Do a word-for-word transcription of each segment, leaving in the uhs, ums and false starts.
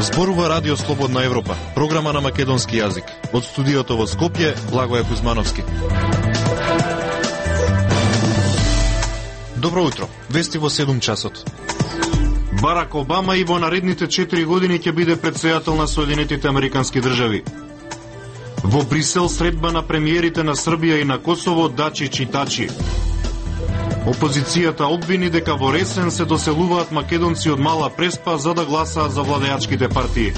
Зборува Радио Слободна Европа, програма на македонски јазик. Од студиото во Скопје, Благоје Кузмановски. Добро утро, вести во седум часот. Барак Обама и во наредните четири години ќе биде претседател на Соединетите Американски држави. Во Брисел средба на премиерите на Србија и на Косово Дачич и Тачи. Опозицијата обвини дека во ресен се доселуваат македонци од Мала Преспа за да гласаат за владеачките партии.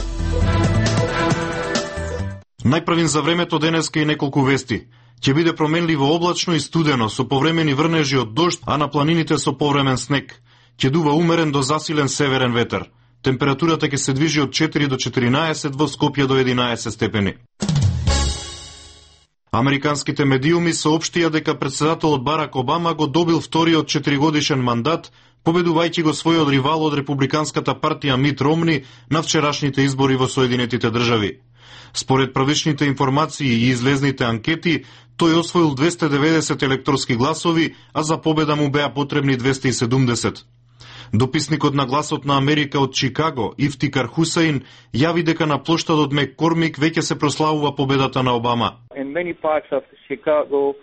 Најпрвин за времето денеска и неколку вести. Ќе биде променливо облачно и студено, со повремени врнежи од дожд, а на планините со повремен снег. Ќе дува умерен до засилен северен ветер. Температурата ќе се движи од четири до четиринаесет, во Скопје до единаесет степени. Американските медиуми соопштија дека претседателот Барак Обама го добил вториот четиригодишен мандат, победувајќи го својот ривал од републиканската партија Мит Ромни на вчерашните избори во Соединетите држави. Според првичните информации и излезните анкети, тој освоил двесте и деветдесет електорски гласови, а за победа му беа потребни двесте и седумдесет. Дописникот на Гласот на Америка од Чикаго, Ифтикар Хусаин, јави дека на плоштадот Мек-Кормик веќе се прославува победата на Обама. In many parts of Chicago,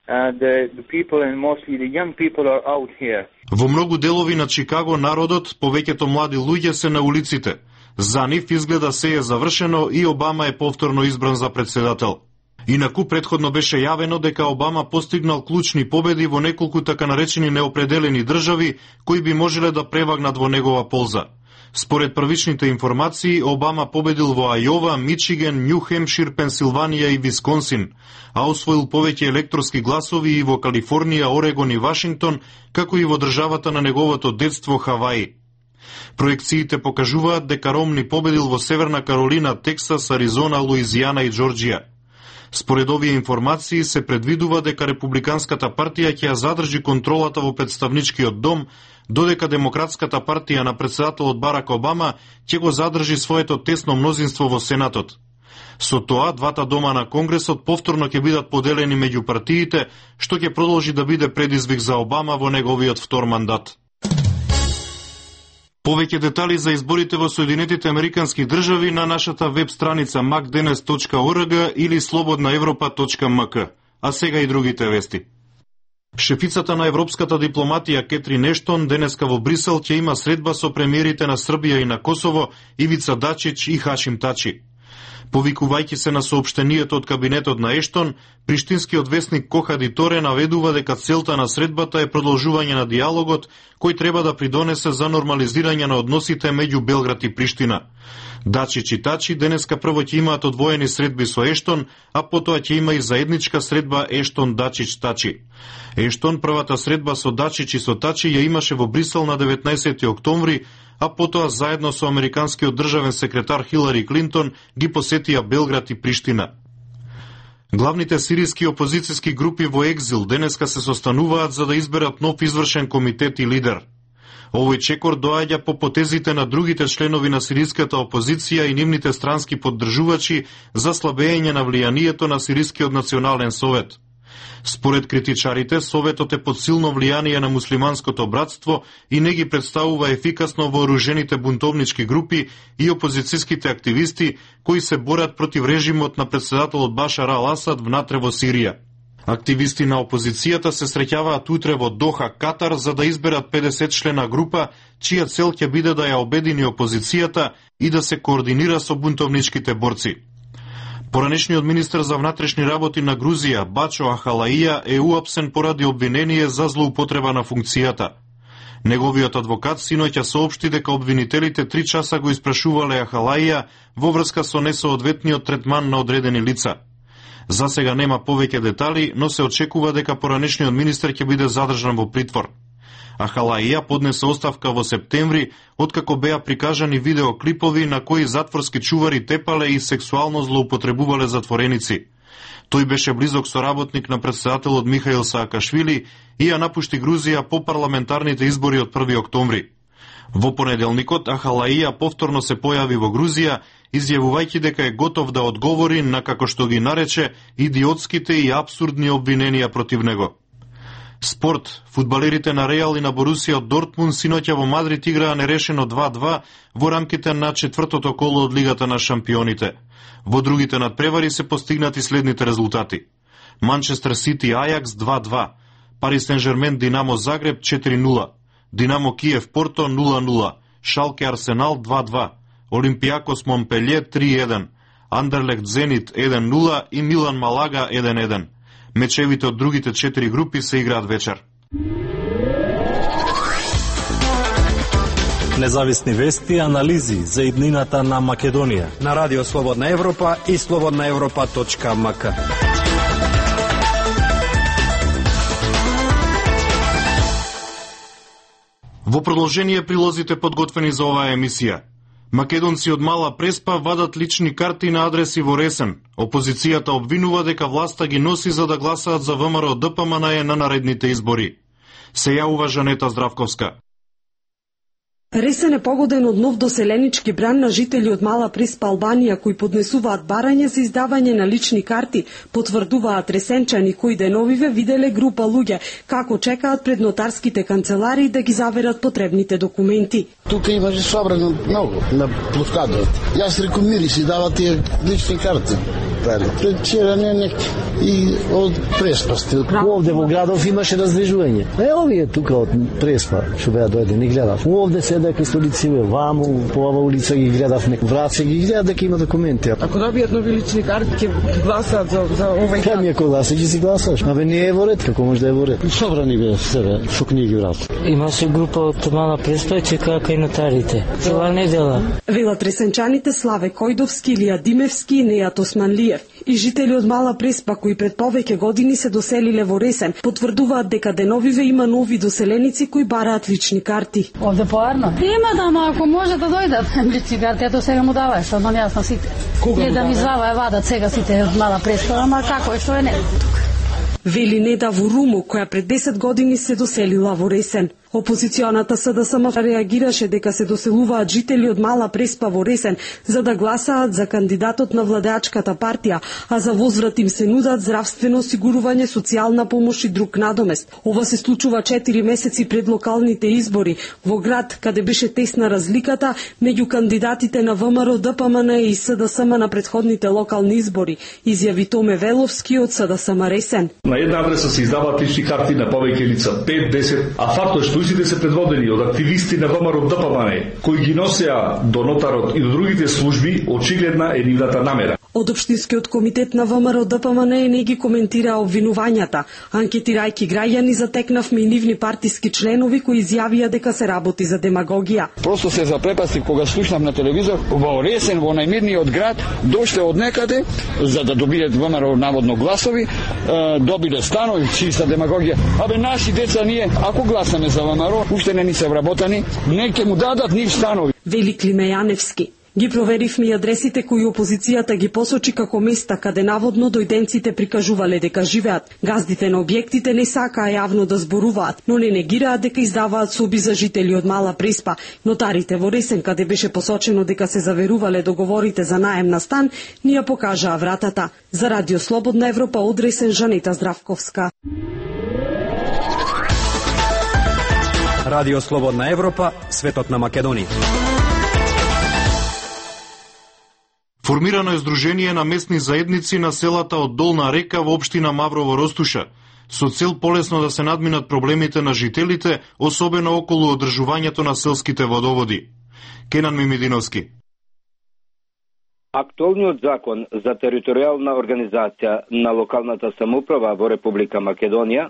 uh, the, the people and mostly the young people are out here. Во многу делови на Чикаго народот, повеќето млади луѓе се на улиците. За нив изгледа се е завршено и Обама е повторно избран за претседател. Инаку претходно беше јавено дека Обама постигнал клучни победи во неколку така наречени неопределени држави кои би можеле да превагнат во негова полза. Според првичните информации, Обама победил во Ајова, Мичиген, Њу Хемшир, Пенсилванија и Висконсин, а освоил повеќе електорски гласови и во Калифорнија, Орегон и Вашингтон, како и во државата на неговото детство Хаваи. Проекциите покажуваат дека Ромни победил во Северна Каролина, Тексас, Аризона, Луизијана и Џорџија. Според овие информации се предвидува дека републиканската партија ќе ја задржи контролата во представничкиот дом, додека демократската партија на претседателот Барак Обама ќе го задржи своето тесно мнозинство во Сенатот. Со тоа, двата дома на Конгресот повторно ќе бидат поделени меѓу партиите, што ќе продолжи да биде предизвик за Обама во неговиот втор мандат. Повеќе детали за изборите во Соединетите Американски држави на нашата веб страница мак денес точка орг или слободна европа точка мк. А сега и другите вести. Шефицата на европската дипломатија Кетрин Ештон денеска во Брисел ќе има средба со премиерите на Србија и на Косово Ивица Дачич и Хашим Тачи. Повикувајќи се на соопштението од кабинетот на Ештон, приштинскиот весник Кохади Торе наведува дека целта на средбата е продолжување на диалогот кој треба да придонесе за нормализирање на односите меѓу Белград и Приштина. Дачич и Тачи денеска прво ќе имаат одвоени средби со Ештон, а потоа ќе има и заедничка средба Ештон-Дачич-Тачи. Ештон првата средба со Дачич и со Тачи ја имаше во Брисел на деветнаесети октомври, а потоа заедно со американскиот државен секретар Хилари Клинтон ги посетија Белград и Приштина. Главните сириски опозицијски групи во екзил денеска се состануваат за да изберат нов извршен комитет и лидер. Овој чекор доаѓа по потезите на другите членови на сириската опозиција и нивните странски поддржувачи за слабење на влијанието на Сирискиот национален совет. Според критичарите, Советот е под силно влијание на муслиманското братство и не ги представува ефикасно вооружените бунтовнички групи и опозицијските активисти кои се борат против режимот на претседателот Башар ал-Асад внатре во Сирија. Активисти на опозицијата се среќаваат утре во Доха, Катар, за да изберат педесет члена група, чија цел ќе биде да ја обедини опозицијата и да се координира со бунтовничките борци. Поранешниот министер за внатрешни работи на Грузија, Бачо Ахалаија, е уапсен поради обвинение за злоупотреба на функцијата. Неговиот адвокат синоќа соопшти дека обвинителите три часа го испрашувале Ахалаија во врска со несоодветниот третман на одредени лица. За сега нема повеќе детали, но се очекува дека поранешниот министер ќе биде задржан во притвор. Ахалаија поднесе оставка во септември, откако беа прикажани видеоклипови на кои затворски чувари тепале и сексуално злоупотребувале затвореници. Тој беше близок соработник на претседателот Михаил Саакашвили и ја напушти Грузија по парламентарните избори од први октомври. Во понеделникот Ахалаија повторно се појави во Грузија, изјавувајќи дека е готов да одговори на, како што ги нарече, идиотските и апсурдни обвиненија против него. Спорт. Фудбалерите на Реал и на Борусија од Дортмунд синоќа во Мадрид играа нерешено два-два во рамките на четвртото коло од Лигата на шампионите. Во другите надпревари се постигнати следните резултати. Манчестер Сити Ајакс два-два, Пари Сен-Жермен Динамо Загреб четири нула, Динамо Киев Порто нула нула, Шалке Арсенал два-два, Олимпијакос Монпелје три еден, Андерлехт Зенит еден нула и Милан Малага еден еден. Мечевите од другите четири групи се играат вечер. Независни вести и анализи за иднината на Македонија на Радио Слободна Европа и слободна европа точка ем ка. Во продолжение прилозите подготвени за оваа емисија. Македонци од Мала Преспа вадат лични карти на адреси во Ресен. Опозицијата обвинува дека власта ги носи за да гласаат за ВМРО Д П М Н Е на наредните избори. Се јавува Жанета Здравковска. Ресен е погоден од нов доселенички бран на жители од Мала Преспа, Албанија, кои поднесуваат барање за издавање на лични карти, потврдуваат ресенчани кои деновиве виделе група луѓе како чекаат пред нотарските канцеларии да ги заверат потребните документи. Тука имаше собрано многу на площадот. Јас реком мири си дават тие лични карти. Пред вчера не нек и од Преспа сте. Овде во градов имаше раздвижување. Е, овие тука од Преспа што беа дојде, не гледав. Овде седеа кај столициве, ваму, по ова улица ги гледав, нек враце ги гледав дека има документи. Ако добијат нови лични карти, ќе гласаат за, за овај карт. Кај ми ако гласа, ќе си гласаш. Абе не е во ред, како може да е во ред. Собрани бе себе, со книги врат. Имаше група од Мала Преспа, чекаа кај нотарите. Цела недела. Велат ресенчаните Славе Којдовски, Илија Димевски и Нејат Османлиев. И жители од Мала Преспа, кои пред повеќе години се доселиле во Ресен, потврдуваат дека деновиве има нови доселеници кои бараат лични карти. Овде поарно? Има да, ама ако може да дојдат лични карти, ето сега му давај, што одмам јас на сите. Не да ми звава вадат сега сите од Мала Преспа, ама како е, што е не тука. Вели Неда Вуруму, која пред десет години се доселила во Ресен. Опозиционата С Д С М реагираше дека се доселуваат жители од Мала Преспа во Ресен за да гласаат за кандидатот на владеачката партија, а за возврат им се нудат здравствено осигурување, социјална помош и друг надомест. Ова се случува четири месеци пред локалните избори во град каде беше тесна разликата меѓу кандидатите на ВМРО Д П М Н и С Д С М на претходните локални избори, изјави Томе Веловски од С Д С М Ресен. На една адреса се издаваат лични карти на повеќе лица, пет десет, а фактот е што истите се предводени од активисти на ВМРО Д П М Н Е, кои ги носеа до нотарот и до другите служби, очигледна е нивната намера. Од Општинскиот комитет на ВМРО Д П М Н Е не ги коментира обвинувањата. Анкетирајќи граѓани, затекнавме и нивни партиски членови кои изјавија дека се работи за демагогија. Просто се запрепастив кога слушнав на телевизор во Ресен, во најмирниот град, дошле од некаде за да добијат ВМРО наводно гласови, добиле станови, чиста демагогија. Абе наши деца ние, ако гласаме за ВМРО, уште не ни се вработани, не ќе му дадат нив станови. Вели Климе Јаневски. Ги проверивме и адресите кои опозицијата ги посочи како места каде наводно дојденците прикажувале дека живеат. Газдите на објектите не сакаа јавно да зборуваат, но не негираат дека издаваат соби за жители од Мала Преспа. Нотарите во Ресен, каде беше посочено дека се заверувале договорите за наем на стан, ни ја покажаа вратата. За Радио Слободна Европа од Ресен, Жанета Здравковска. Радио Слободна Европа, светот на Македонија. Формирано е Сдружение на местни заедници на селата од Долна река во општина Маврово Ростуша, со цел полесно да се надминат проблемите на жителите, особено околу одржувањето на селските водоводи. Кенан Мимидиновски. Актуелниот закон за територијална организација на локалната самоуправа во Република Македонија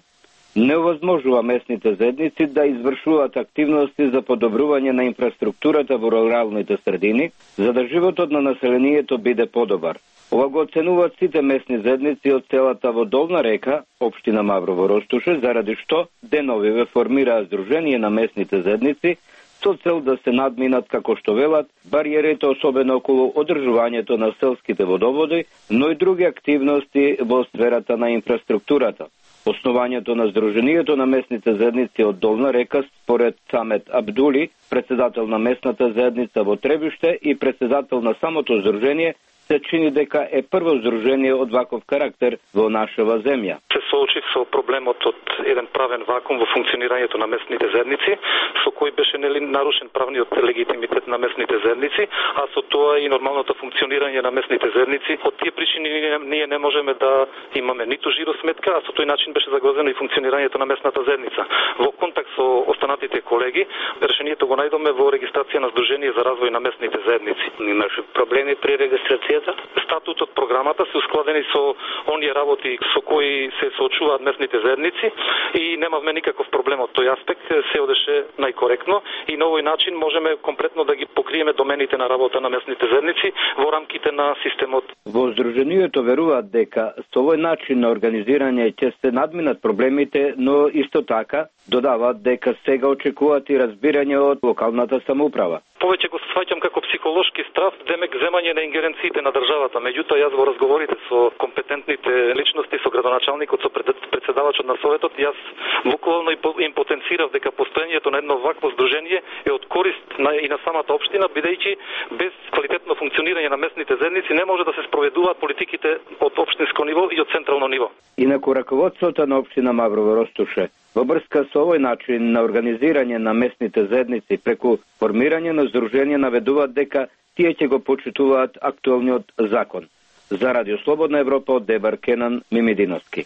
не овозможува местните заедници да извршуваат активности за подобрување на инфраструктурата во руралните средини, за да животот на населението биде подобар. Ова го оценуваат сите местни заедници од селата во Долна река, општина Маврово Ростуше, заради што деновиве формираа Сдружение на местните заедници со цел да се надминат, како што велат, бариерите особено околу одржувањето на селските водоводи, но и други активности во сферата на инфраструктурата. Основањето на Сдруженијето на местните заедници од Долна река, според Самет Абдули, председател на местната заедница во Требиште и председател на самото Сдружение, се чини дека е прво здружение од ваков карактер во нашава земја. Се соочив со проблемот од еден правен вакуум во функционирањето на местните заедници, со кој беше нели нарушен правниот легитимитет на местните заедници, а со тоа и нормалното функционирање на местните заедници. Од тие причини ние не можеме да имаме ниту жиросметка, а со тој начин беше загрозено и функционирањето на местната заедница. Во контакт со останатите колеги, решението го најдоме во регистрација на Сдружение за развој на местните заедници. Имаше проблеми при регистрацијата? Статутот програмата се ускладени со оние работи со кои се соочуваат местните заедници и немавме никаков проблем од тој аспект, се одеше најкоректно и на овој начин можеме комплетно да ги покриеме домените на работа на местните заедници во рамките на системот. Во Сдруженијето веруваат дека со овој начин на организирање ќе се надминат проблемите, но исто така додаваат дека сега очекуваат и разбирање од локалната самоуправа. Повеќе го сваќам како психолошки страв, демек земање на ингеренциите на државата. Меѓутоа јас во разговорите со компетентните личности, со градоначалникот, со председавачот на советот, јас буквално им потенцирав дека постоењето на едно вакво здружение е од корист на, и на самата општина, бидејќи без квалитетно функционирање на местните заедници не може да се спроведуваат политиките од општинско ниво и од централно ниво. Инаку раководството на општина Маврово Ростуше во врска со овој начин на организирање на местните заедници преку формирање на здружение наведуваат дека тие ќе го почитуваат актуелниот закон. За Радио Слободна Европа од Дебар Кенан Мимидиновски.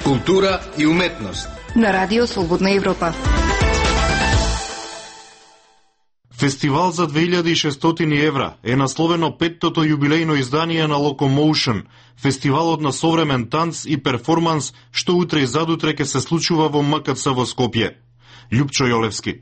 Култура и уметност на Радио Слободна Европа. Фестивал за две илјади и шестстотини евра е насловено петтото јубилејно издание на Locomotion, фестивалот на современ танц и перформанс што утре и задутре ќе се случува во М К Ц во Скопје. Љупчо Јолевски.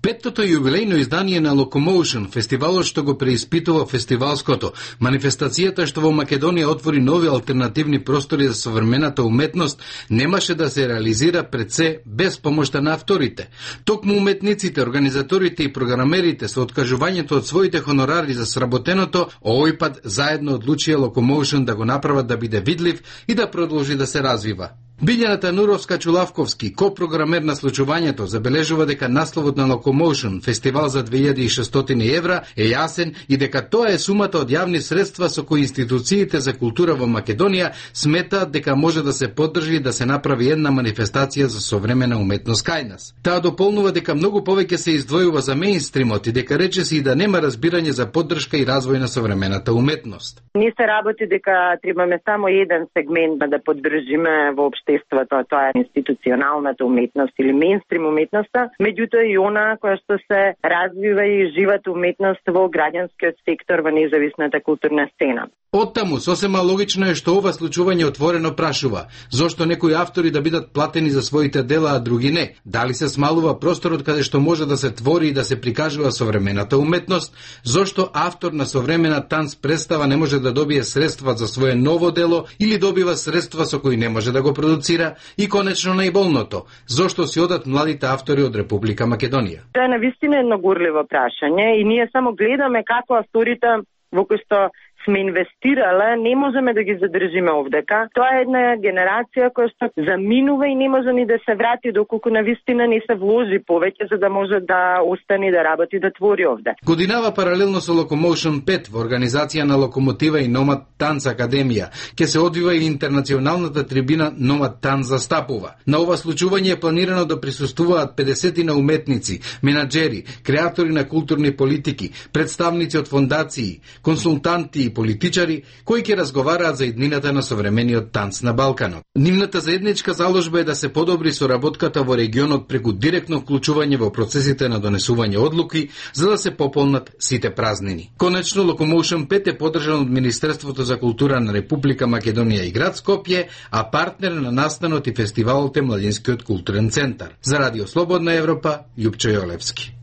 Петтото јубилејно издание на Locomotion, фестивалот што го преиспитува фестивалското, манифестацијата што во Македонија отвори нови алтернативни простори за современата уметност, немаше да се реализира пред се без помошта на авторите. Токму уметниците, организаторите и програмерите со откажувањето од своите хонорари за сработеното, овој пат заедно одлучија Locomotion да го направат да биде видлив и да продолжи да се развива. Билјаната Нуровска-Чулавковски, копрограмер на случувањето, забележува дека насловот на Locomotion, фестивал за две илјади и шестстотини евра, е јасен и дека тоа е сумата од јавни средства со кои институциите за култура во Македонија сметаат дека може да се поддржи и да се направи една манифестација за современа уметност кај нас. Таа дополнува дека многу повеќе се издвојува за меинстримот и дека речиси и да нема разбирање за поддршка и развој на современата уметност. Ние се работи дека требаме само еден сегмент да поддржиме воопшто естеството, тоа е институционалната уметност или меинстрим уметноста, меѓутоа и она која што се развива и живата уметност во граѓанскиот сектор во независната културна сцена. Оттаму, сосема логично е што ова случување отворено прашува, зошто некои автори да бидат платени за своите дела, а други не? Дали се смалува просторот каде што може да се твори и да се прикажува современата уметност? Зошто автор на современа танц представа не може да добие средства за свое ново дело или добива средства со кои не може да го продуцира? И конечно најболното, зошто си одат младите автори од Република Македонија? Тоа е навистина едно гурливо прашање и ние само гледаме како авторите во кои што сме инвестирале, не можеме да ги задржиме овдека. Тоа е една генерација која што заминува и не може ни да се врати доколку навистина не се вложи повеќе за да може да остане да работи да твори овде. Годинава паралелно со Locomotion пет во организација на Локомотива и Номад Танц Академија ќе се одвива и интернационалната трибина Номад Танц застапува. На ова случување е планирано да присуствуваат педесетина уметници, менаџери, креатори на културни политики, представници од фондации, консултанти и политичари кои ќе разговараат за иднината на современиот танц на Балканот. Нивната заедничка заложба е да се подобри соработката во регионот преку директно вклучување во процесите на донесување одлуки за да се пополнат сите празнини. Конечно, Locomotion пет е поддржан од Министерството за култура на Република Македонија и град Скопје, а партнер на настанот и фестивалот е Младинскиот културен центар. За Радио Слободна Европа, Љупчо Јолевски.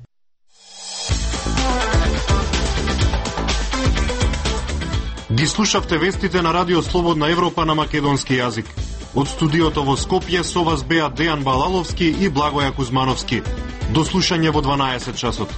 Ги слушавте вестите на Радио Слободна Европа на македонски јазик. Од студиото во Скопје со вас беа Дејан Балаловски и Благоја Кузмановски. До слушање во дванаесет часот.